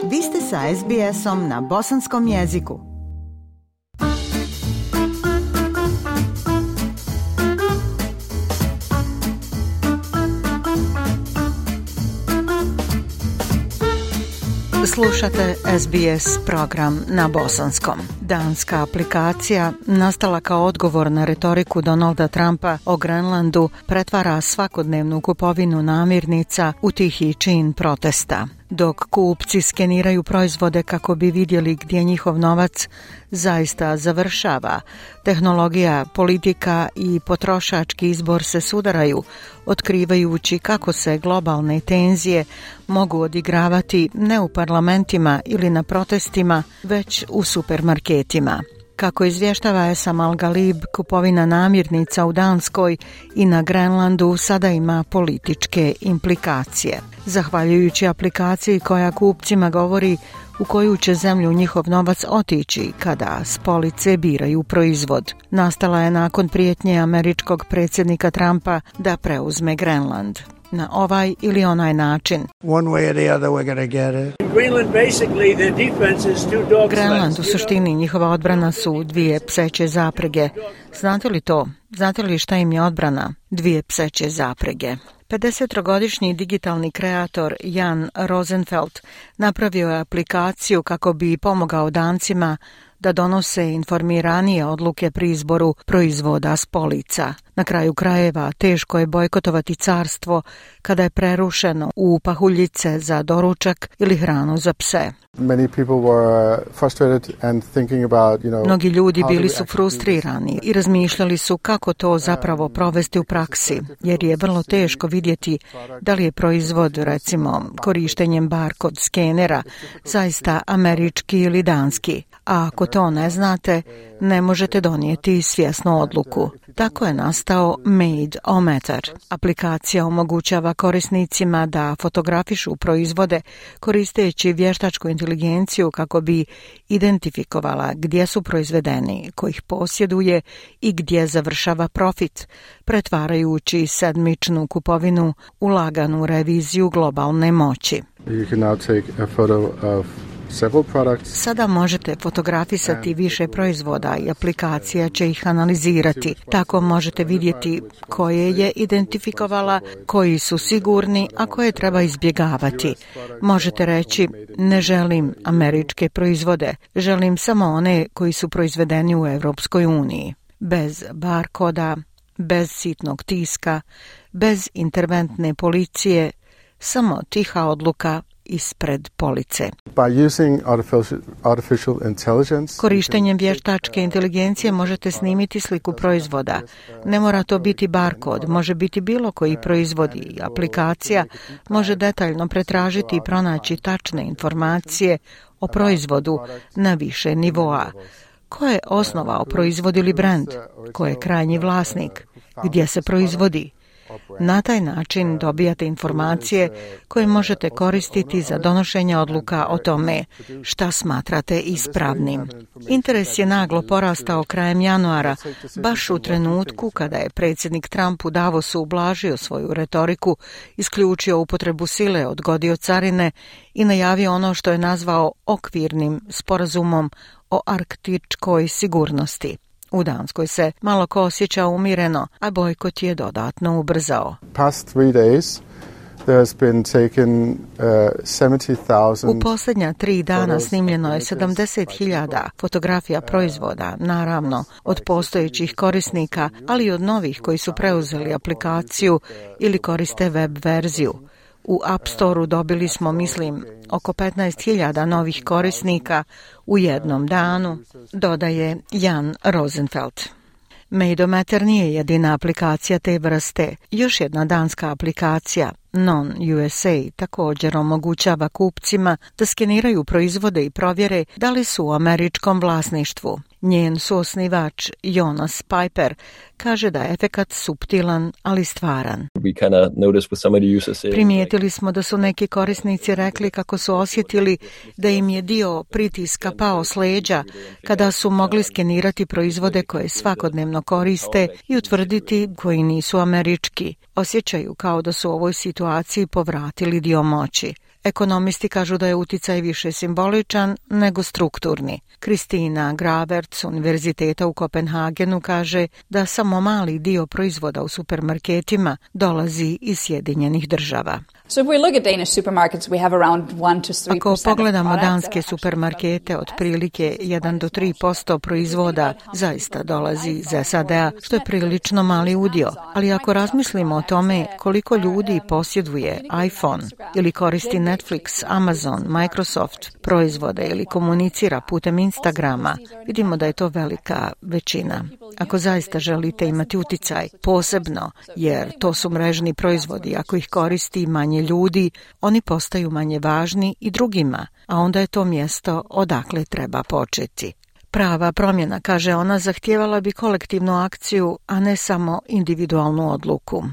Vi ste sa SBS-om na bosanskom jeziku. Slušate SBS program na bosanskom. Danska aplikacija, nastala kao odgovor na retoriku Donalda Trumpa o Grenlandu, pretvara svakodnevnu kupovinu namirnica u tihi čin protesta. Dok kupci skeniraju proizvode kako bi vidjeli gdje njihov novac zaista završava, tehnologija, politika i potrošački izbor se sudaraju, otkrivajući kako se globalne tenzije mogu odigravati ne u parlamentima ili na protestima, već u supermarketima. Kako izvještava Sam Al-Galib, kupovina namirnica u Danskoj i na Grenlandu sada ima političke implikacije. Zahvaljujući aplikaciji koja kupcima govori u koju će zemlju njihov novac otići kada s police biraju proizvod. Nastala je nakon prijetnje američkog predsjednika Trumpa da preuzme Grenland. Na ovaj ili onaj način. Grenland, u suštini njihova odbrana su dvije pseće zaprege. Znate li to? Znate li šta im je odbrana? Dvije pseće zaprege. 50-godišnji digitalni kreator Jan Rosenfeld napravio je aplikaciju kako bi pomogao Dancima da donose informiranije odluke pri izboru proizvoda s polica. Na kraju krajeva teško je bojkotovati carstvo kada je prerušeno u pahuljice za doručak ili hranu za pse. Mnogi ljudi bili su frustrirani i razmišljali su kako to zapravo provesti u praksi, jer je vrlo teško vidjeti da li je proizvod, recimo korištenjem barkod skenera, zaista američki ili danski. A ako to ne znate, ne možete donijeti svjesnu odluku. Tako je nastao Made-O-Meter. Aplikacija omogućava korisnicima da fotografišu proizvode koristeći vještačku inteligenciju kako bi identifikovala gdje su proizvedeni, ko ih posjeduje i gdje završava profit, pretvarajući sedmičnu kupovinu u laganu reviziju globalne moći. Sada možete fotografisati više proizvoda i aplikacija će ih analizirati. Tako možete vidjeti koje je identifikovala, koji su sigurni, a koje treba izbjegavati. Možete reći, ne želim američke proizvode, želim samo one koji su proizvedeni u Europskoj uniji. Bez barkoda, bez sitnog tiska, bez interventne policije, samo tiha odluka ispred police. Korištenjem vještačke inteligencije možete snimiti sliku proizvoda. Ne mora to biti barkod, može biti bilo koji proizvod i aplikacija može detaljno pretražiti i pronaći tačne informacije o proizvodu na više nivoa. Ko je osnovao proizvod ili brand? Ko je krajnji vlasnik? Gdje se proizvodi? Na taj način dobijate informacije koje možete koristiti za donošenje odluka o tome šta smatrate ispravnim. Interes je naglo porastao krajem januara, baš u trenutku kada je predsjednik Trump u Davosu ublažio svoju retoriku, isključio upotrebu sile, odgodio carine i najavio ono što je nazvao okvirnim sporazumom o arktičkoj sigurnosti. U Danskoj se malo ko osjeća umireno, a bojkot je dodatno ubrzao. U posljednja 3 dana snimljeno je 70.000 fotografija proizvoda, naravno od postojećih korisnika, ali i od novih koji su preuzeli aplikaciju ili koriste web verziju. U App Store-u dobili smo, mislim, oko 15.000 novih korisnika u jednom danu, dodaje Jan Rosenfeld. Made-O-Meter nije jedina aplikacija te vrste. Još jedna danska aplikacija, Non-USA, također omogućava kupcima da skeniraju proizvode i provjere da li su u američkom vlasništvu. Njen suosnivač Jonas Piper kaže da je efekat suptilan, ali stvaran. Primijetili smo da su neki korisnici rekli kako su osjetili da im je dio pritiska pao s leđa kada su mogli skenirati proizvode koje svakodnevno koriste i utvrditi koji nisu američki. Osjećaju kao da su u ovoj situaciji povratili dio moći. Ekonomisti kažu da je uticaj više simboličan nego strukturni. Kristina Gravert s Univerziteta u Kopenhagenu kaže da samo mali dio proizvoda u supermarketima dolazi iz Sjedinjenih Država. Ako pogledamo danske supermarkete, otprilike 1 do 3% proizvoda zaista dolazi iz SAD-a, što je prilično mali udio. Ali ako razmislimo o tome koliko ljudi posjeduje iPhone ili koristi Netflix, Amazon, Microsoft proizvode ili komunicira putem Instagrama, vidimo da je to velika većina. Ako zaista želite imati uticaj, posebno jer to su mrežni proizvodi, ako ih koristi manje ljudi, oni postaju manje važni i drugima, a onda je to mjesto odakle treba početi. Prava promjena, kaže ona, zahtijevala bi kolektivnu akciju, a ne samo individualnu odluku.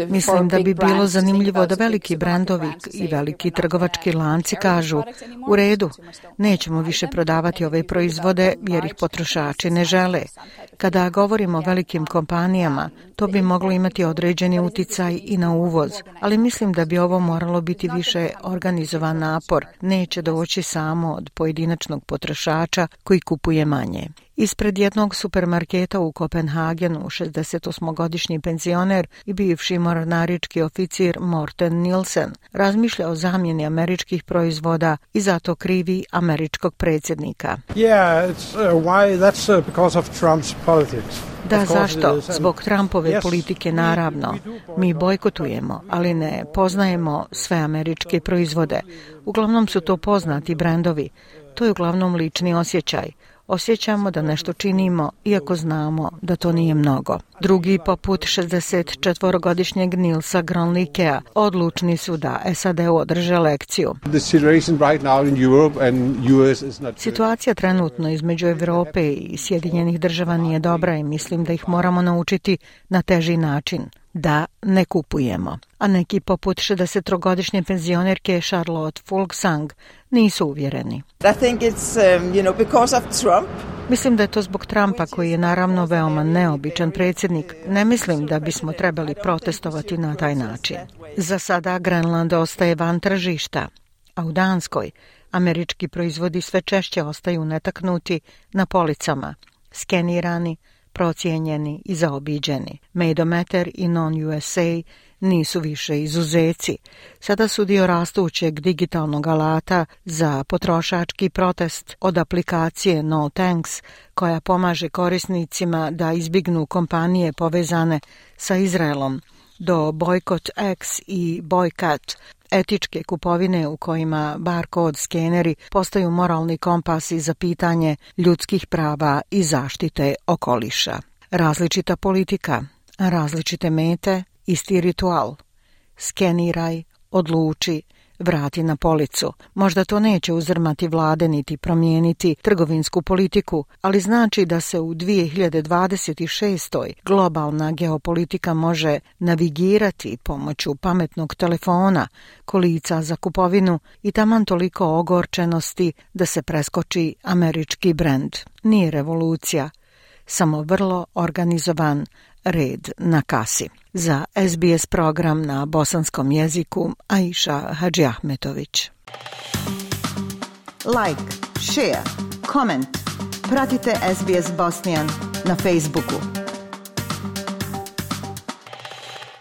Mislim da bi bilo zanimljivo da veliki brendovi i veliki trgovački lanci kažu: u redu, nećemo više prodavati ove proizvode jer ih potrošači ne žele. Kada govorimo o velikim kompanijama, to bi moglo imati određeni uticaj i na uvoz, ali mislim da bi ovo moralo biti više organizovan napor. Neće doći samo od pojedinačnog potrošača koji kupuje manje. Ispred jednog supermarketa u Kopenhagenu 68-godišnji penzioner i bivši mornarički oficir Morten Nielsen razmišlja o zamjeni američkih proizvoda i zato krivi američkog predsjednika. Da, zašto? Zbog Trumpove politike, naravno. Mi bojkotujemo, ali ne poznajemo sve američke proizvode. Uglavnom su to poznati brendovi. To je uglavnom lični osjećaj. Osjećamo da nešto činimo, iako znamo da to nije mnogo. Drugi, poput 64-godišnjeg Nilsa Gronlikea, odlučni su da SAD-u održe lekciju. Situacija trenutno između Europe i Sjedinjenih Država nije dobra i mislim da ih moramo naučiti na teži način. Da ne kupujemo. A neki poput 63-godišnje penzionerke Charlotte Fulksang nisu uvjereni. Mislim da je to zbog Trumpa, koji je naravno veoma neobičan predsjednik. Ne mislim da bismo trebali protestovati na taj način. Za sada Grenland ostaje van tržišta, a u Danskoj američki proizvodi sve češće ostaju netaknuti na policama, skenirani, procijenjeni i zaobiđeni. Maidometer i Non-USA nisu više izuzeci. Sada su dio rastućeg digitalnog alata za potrošački protest, od aplikacije No Thanks, koja pomaže korisnicima da izbjegnu kompanije povezane sa Izraelom, do Boycott X i Boycott, etičke kupovine u kojima barkod skeneri postaju moralni kompasi za pitanje ljudskih prava i zaštite okoliša. Različita politika, različite mete, isti ritual. Skeniraj, odluči, vrati na policu. Možda to neće uzrmati vlade niti promijeniti trgovinsku politiku, ali znači da se u 2026. globalna geopolitika može navigirati pomoću pametnog telefona, kolica za kupovinu i taman toliko ogorčenosti da se preskoči američki brend. Nije revolucija, samo vrlo organizovan red na kasi. Za SBS program na bosanskom jeziku Aisha Hadžiahmetović. Like, share, comment. Pratite SBS Bosnian na Facebooku.